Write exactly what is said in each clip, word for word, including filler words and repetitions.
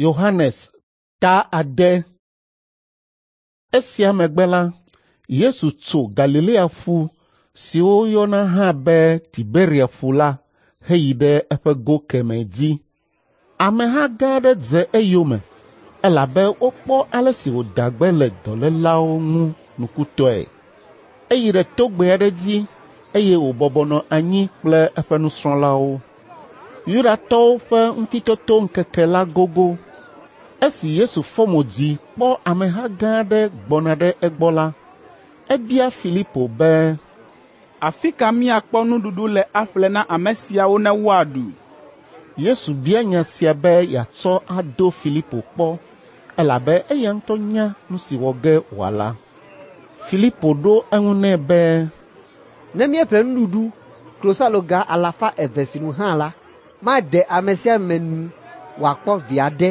Yohanes ta ade. Esia megbe la, Yesu tso Galilea ƒu si woyɔna hã be Tiberia ƒu la heyi ɖe eƒe go kemɛ dzi. Ameha gã aɖe dze eyome elabe wokpɔ ale si wòda gbe le dɔlélawo ŋu nukutɔe. Eyi ɖe togbɛ aɖe dzi eye wòbɔbɔ nɔ anyi kple eƒe nusrɔ̃lawo. Yudatɔwo ƒe Ŋutitotoŋkeke la gogo. Esi Yesu fɔ mo dzi kpɔ ameha gã aɖe gbɔna ɖe egbɔ la, ebia Filipo be, “Afi ka míakpɔ nuɖuɖu le aƒle na ame siawo ne woaɖu?” Yesu bia nya sia be yeatsɔ ado Filipo kpɔ elabe eya ŋutɔ nya nu si wɔ ge wòala. Filipo ɖo eŋu nɛ be, “Ne míeƒle nuɖuɖu klosaloga alafa eve sinu hã la, made ame sia ame nu wòakpɔ vi aɖe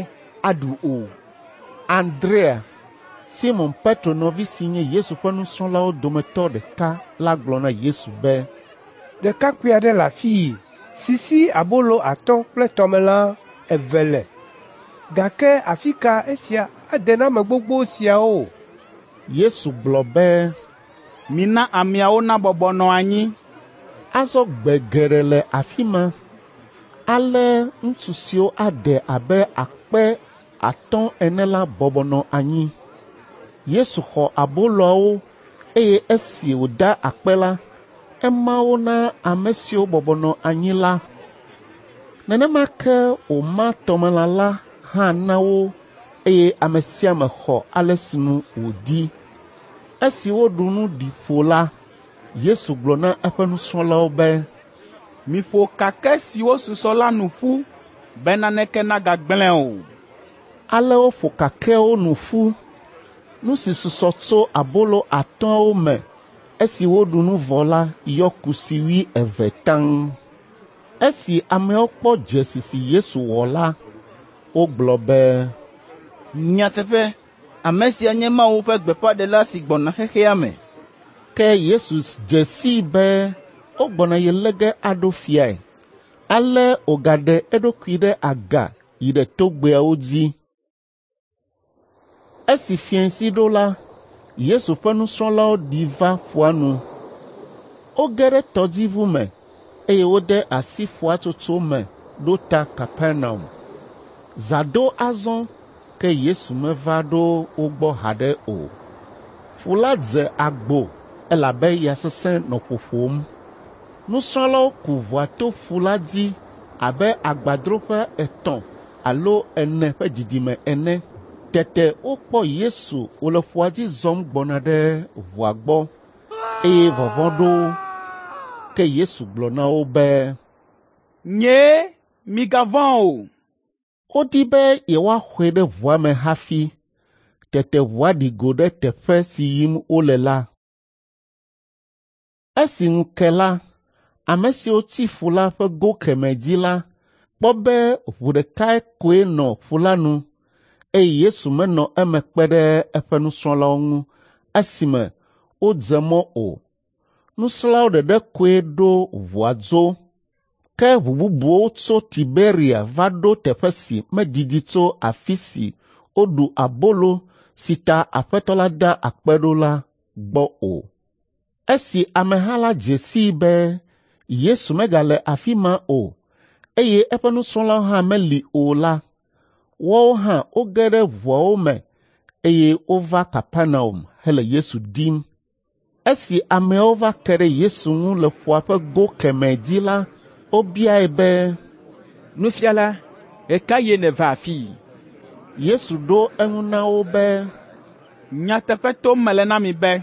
aɖu o.” Andrea, Simɔn Petro nɔvi si nye Yesu ƒe nusrɔ̃lawo dometɔ ɖeka la gblɔ na Yesu be, “Ɖekakpui aɖe le afii si si abolo atɔ̃ kple tɔmelã eve le, gake afi ka esia ade na ame gbogbo siawo?” Yesu gblɔ be, “Mina ameawo nabɔbɔ nɔ anyi.” Azɔ gbe geɖe le afi ma. Ale ŋutsu siwo ade abe akpe atɔ̃ ene la bɔbɔ nɔ anyi. Yesu xɔ aboloawo eye esi wòda akpe la, ema wo na ame siwo bɔbɔ nɔ anyi la. Nenema ke wòma tɔmelã la hã na wo eye ame sia ame xɔ ale sinu wòdi. Esi woɖu nu ɖi ƒo la, Yesu gblɔ na eƒe nusrɔ̃lawo be, “Miƒo kakɛ siwo susɔ la nu ƒu be naneke nagagblẽ o.” Ale woƒo kakɛawo nu ƒu. Nu si susɔ tso abolo atɔ̃awo me esi woɖu nu vɔ la yɔ kusi wuieve taŋ. Esi ameawo kpɔ dzesi si Yesu wɔ la, wogblɔ be, “Nyateƒe, ame sia nye Mawu ƒe gbeƒãɖela si gbɔna xexea me.” Ke Yesu dze sii be wogbɔna ye lé ge aɖo fiae. Ale wògaɖe eɖokui ɖe aga yi ɖe togbɛawo dzi. Esi fiẽsi ɖo la, Yesu ƒe nusrɔ̃lawo ɖi va ƒua nu. Woge ɖe tɔdziʋu me eye wode asi ƒua tsotso me ɖo ta Kapernaum. Zã do azɔ ke Yesu meva ɖo wo gbɔ haɖe o. Ƒu la dze agbo elabe ya sesẽ nɔ ƒoƒom. Nusrɔ̃lawo ku ʋua to ƒu la dzi abe agbadroƒe etɔ̃ alo ene ƒe didime ene. Tete wokpɔ Yesu wòle ƒua dzi zɔm gbɔna ɖe ʋua gbɔ eye vɔvɔ̃ ɖo wo. Ke Yesu gblɔ na wo be, “Nyee, migavɔ̃ o.” Wodi be yewoaxɔe ɖe ʋua me hafi. Tete ʋua ɖi go ɖe teƒe si yim wole la. Esi ŋu ke la, ame siwo tsi ƒu la ƒe go kemɛ dzi la kpɔ be ʋu ɖekae koe nɔ ƒu la nu eye Yesu menɔ eme kpe ɖe eƒe nusrɔ̃lawo ŋu esime wodze mɔ o. Nusrɔ̃lawo ɖeɖe koe ɖo ʋua dzo. Ke ʋu bubuwo tso Tiberia va ɖo teƒe si medidi tso afi si woɖu abolo si ta Aƒetɔ la da akpe ɖo la gbɔ o. Esi ameha la dze sii be Yesu megale afi ma o eye eƒe nusrɔ̃lawo hã meli o la, woawo hã woge ɖe ʋuawo me eye wova Kapernaum hele Yesu dim. Esi ameawo va ke ɖe Yesu ŋu le ƒua ƒe go kemɛ dzi la, wobiae be, “Nufiala, ɣe ka ɣie nèva afii?” Yesu ɖo eŋu na wo be, “Nyateƒe tom mele na mi be,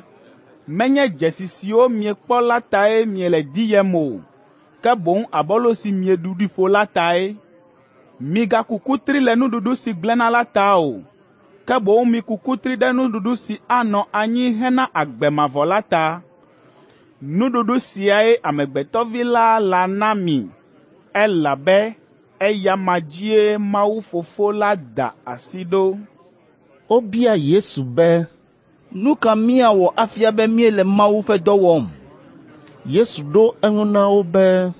menye dzesi siwo miekpɔ la tae miele diyem o, ke boŋ abolo si mieɖu ɖi ƒo la tae. Migaku kutri le nuɖuɖu si gblẽna la ta o, ke boŋ miku kutri ɖe nuɖuɖu si anɔ anyi hena agbe mavɔ la ta. Nuɖuɖu siae Amegbetɔ Vi la lana mi, elabe eya ma dzie Mawu Fofo la da asi ɖo.” Wobia Yesu be, “Nu ka míawɔ afia be míele Mawu ƒe dɔ wɔm?” Yesu ɖo eŋu na wo be,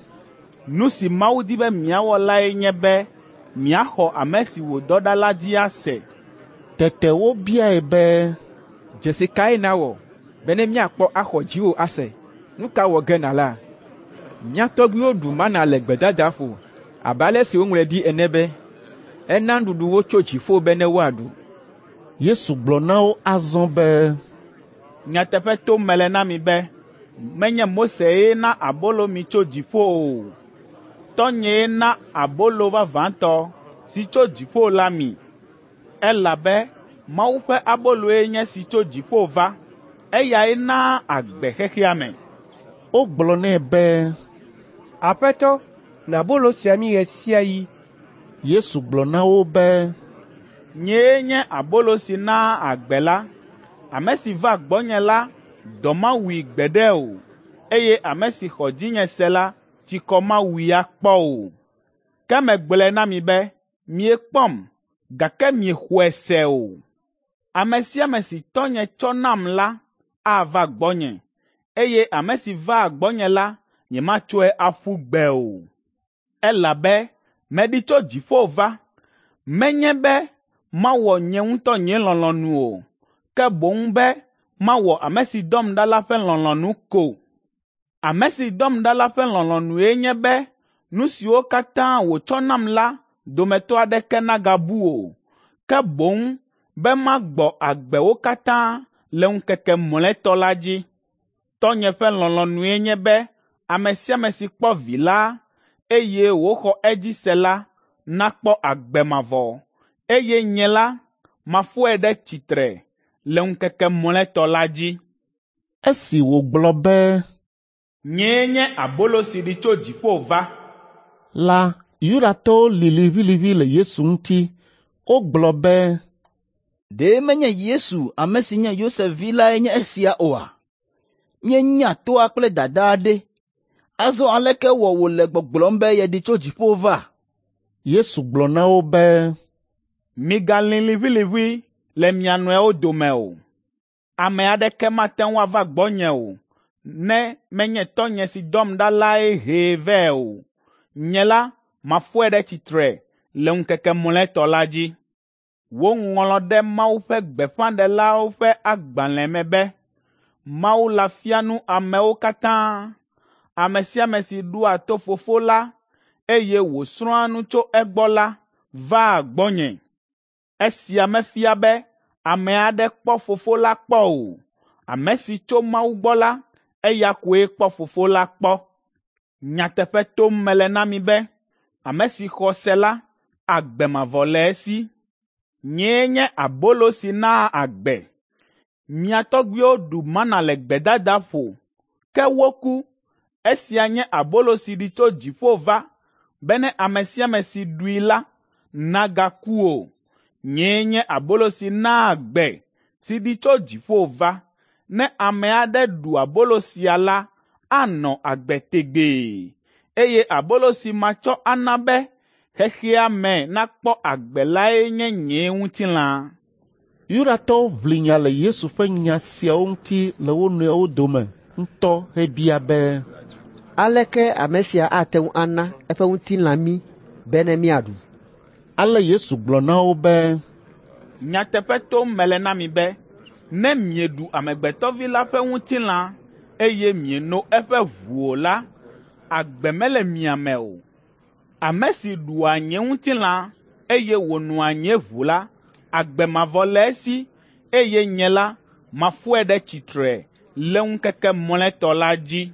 “Nu si Mawu di be miawɔ lae nye be miaxɔ ame si wòdɔ ɖa la dzi ase. Tete wobiae be, Dzesi kae nàwɔ bene míakpɔ axɔ dziwò ase? Nu ka wɔ ge nàla? Mía tɔgbuiwo ɖu mana le gbedadaƒo abe ale si woŋlɔe ɖi ene be, ‘Ena nuɖuɖu wo tso dziƒo bene woaɖu.’ Yesu gblɔ na wo azɔ be, Nyateƒe tom mele na mi be, menye Mosee na abolo mi tso dziƒo o. Tɔ́nyee na abolo vavãtɔ si tso dziƒo la mi. Elabe Mawu ƒe aboloe nye esi tso dziƒo va. Eyae naa agbe xexea me.” Wogblɔ nɛ be, Aƒetɔ, na abolo sia mí ɣe sia ɣi. Yesu gblɔ na wo be, “Nyee nye abolo si naa agbe la. Ame si va gbɔnye la, dɔ mawui gbeɖe o, eye ame si xɔ dzinye se la, tsikɔ mawui akpɔ o. Ke megblɔe na mi be miekpɔm, gake miexɔe se o. Ame sia ame si Tɔ́nye tsɔ nam la ava gbɔnye, eye ame si vaa gbɔnye la, nyematsɔe aƒu gbe o. Elabe meɖi tso dziƒo va, menye be mawɔ nye ŋutɔ nye lɔlɔ̃nu o, ke boŋ be mawɔ ame si dɔm ɖa la ƒe lɔlɔ̃nu ko. Ame si dɔm ɖa la ƒe lɔlɔ̃nue nye be nu siwo katã wòtsɔ nam la dometɔ aɖeke nagabu o, ke boŋ be magbɔ agbe wo katã le ŋkeke mlɔetɔ la dzi. Tɔ́nye ƒe lɔlɔ̃nue nye be ame sia ame si kpɔ Vi la, eye wòxɔ edzi se la nakpɔ agbe mavɔ, eye nye la, mafɔe ɖe tsitre le ŋkeke mlɔetɔ la dzi.” Esi wògblɔ be, “Nyee nye abolo si ɖi tso dziƒo va.” la, Yudatɔwo li liʋĩliʋĩ le Yesu ŋuti. Wogblɔ be, Ɖe menye Yesu, ame si nye Yosef vi lae nye esia oa? Míenya toa kple dadaa ɖe. Azɔ aleke wɔ wòle gbɔgblɔm be yeɖi tso dziƒo va?” Yesu gblɔ na wo be, “Migalĩ liʋĩliʋĩ le mia nɔewo dome o. Ame aɖeke mate ŋu ava gbɔnye o, ne menye Tɔ́nye si dɔm ɖa lae hee vɛ o. Nye la, mafɔe ɖe tsitre le ŋkeke mlɔetɔ la dzi. Woŋlɔ ɖe Mawu ƒe gbeƒãɖelawo ƒe agbalẽ me be, ‘Mawu la fia nu amewo katã.’ Ame sia ame si ɖoa to Fofo la, eye wòsrɔ̃a nu tso egbɔ la, vaa gbɔnye. Esia mefia be ame aɖe kpɔ Fofo la kpɔ o. Ame si tso Mawu gbɔ la, eya koe kpɔ Fofo la kpɔ. Nyateƒe tom mele na mi be, ame si xɔ se la, agbe mavɔ le esi. Nyee nye abolo si naa agbe. Mia tɔgbuiwo ɖu mana le gbedadaƒo, ke woku. Esia nye abolo si ɖi tso dziƒo va, bene ame sia ame si ɖui la nagaku o. Nyee nye abolo si naa agbe, si ɖi tso dziƒo va. Ne ame aɖe ɖu abolo sia la, anɔ agbe tegbee, eye abolo si matsɔ ana be xexea me nakpɔ agbe lae nye nye ŋutilã.” Yudatɔwo ʋli nya le Yesu ƒe nya siawo ŋuti le wo nɔewo dome ŋutɔ hebia be, Aleke ame sia ate ŋu ana eƒe ŋutilã mí bene míaɖu?” Ale Yesu gblɔ na wo be, “Nyateƒe tom mele na mi be, ne mieɖu Amegbetɔ Vi la ƒe ŋutilã, eye mieno eƒe ʋu o la, agbe mele mia me o. Ame si ɖua nye ŋutilã, eye wònoa nye ʋu la, agbe mavɔ le esi, eye nye la, mafɔe ɖe tsitre le ŋkeke mlɔetɔ la dzi.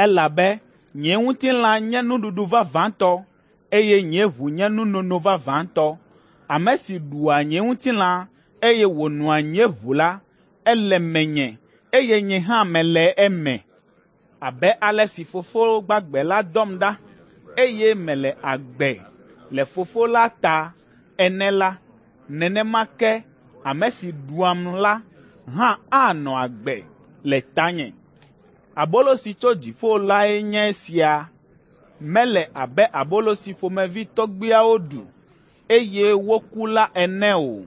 Elabe nye ŋutilã nye nuɖuɖu vavãtɔ, eye nye ʋu nye nunono vavãtɔ. Ame si ɖua nye ŋutilã, eye wònoa nye ʋu la, ele menye, eye nye hã mele eme. Abe ale si Fofo gbagbe la dɔm ɖa, eye mele agbe le Fofo la ta ene la, nenema ke ame si ɖuam la hã anɔ agbe le tanye. Abolo si tso dziƒo lae nye esia. Mele abe abolo si ƒomevi tɔgbuiawo ɖu, eye woku la ene o.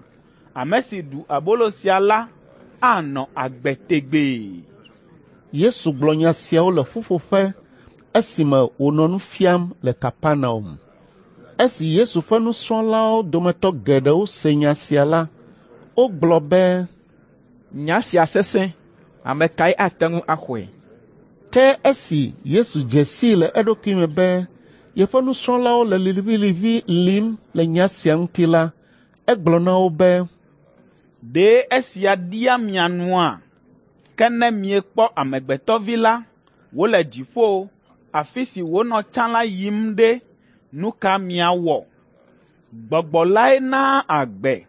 Ame si ɖu abolo sia la anɔ agbe tegbee.” Yesu gblɔ nya siawo le ƒuƒoƒe esime wònɔ nu fiam le Kapernaum. Esi Yesu ƒe nusrɔ̃lawo dometɔ geɖewo se nya sia la, wogblɔ be, “Nya sia sesẽ, ame kae ate ŋu axɔe?” Ke esi Yesu dze sii le eɖokui me be yeƒe nusrɔ̃lawo le liʋĩliʋĩ lim le nya sia ŋuti la, egblɔ na wo be, “Ɖe esia ɖia mia nua? Ke ne miekpɔ Amegbetɔ Vi la wòle dziƒo, afi si wònɔ tsã la yim ɖe, nu ka miawɔ? Gbɔgbɔ lae naa agbe,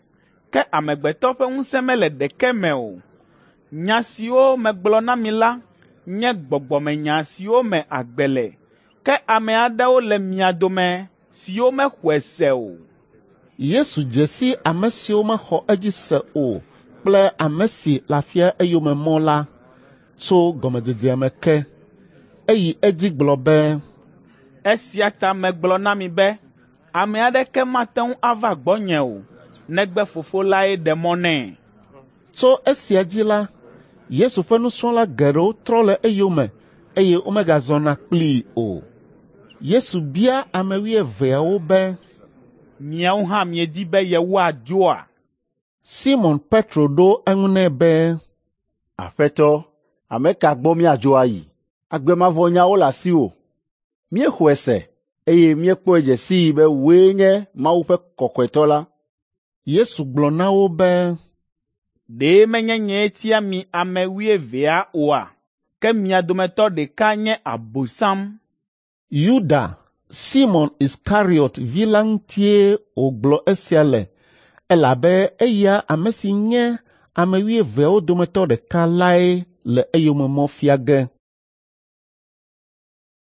ke amegbetɔ ƒe ŋusẽ mele ɖeke me o. Nya siwo megblɔ na mi la nye gbɔgbɔmenya siwo me agbe le, ke ame aɖewo le mia dome siwo mexɔe se o.” Yesu dze si ame siwo mexɔ edzi se o kple ame si le afia eyome mɔ la tso gɔmedzedzea me ke. Eyi edzi gblɔ be, “Esia ta megblɔ na mi be ame aɖeke mate ŋu ava gbɔnye o, negbe Fofo lae ɖe mɔ nɛ.” Tso esia dzi la, Yesu ƒe nusrɔ̃la geɖewo trɔ le eyome eye womegazɔna kplii o. Yesu bia ame wuieveawo be, “Miawo hã miedi be yewoadzoa?” Simɔn Petro ɖo eŋu nɛ be, “Aƒetɔ, ame ka gbɔ míadzo ayi? Agbe mavɔ nyawo le asiwò. Míexɔe se, eye míekpɔe dze sii be wòe nye Mawu ƒe Kɔkɔetɔ la.” Yesu gblɔ na wo be, “Ɖe menye nyee tia mi ame wuievea oa? Ke mia dometɔ ɖeka nye Abosam.” Yuda, Simɔn Iskariɔt vi la ŋutie wògblɔ esia le elabe eya ame si nye ame wuieveawo dometɔ ɖeka lae le eyome mɔ fia ge.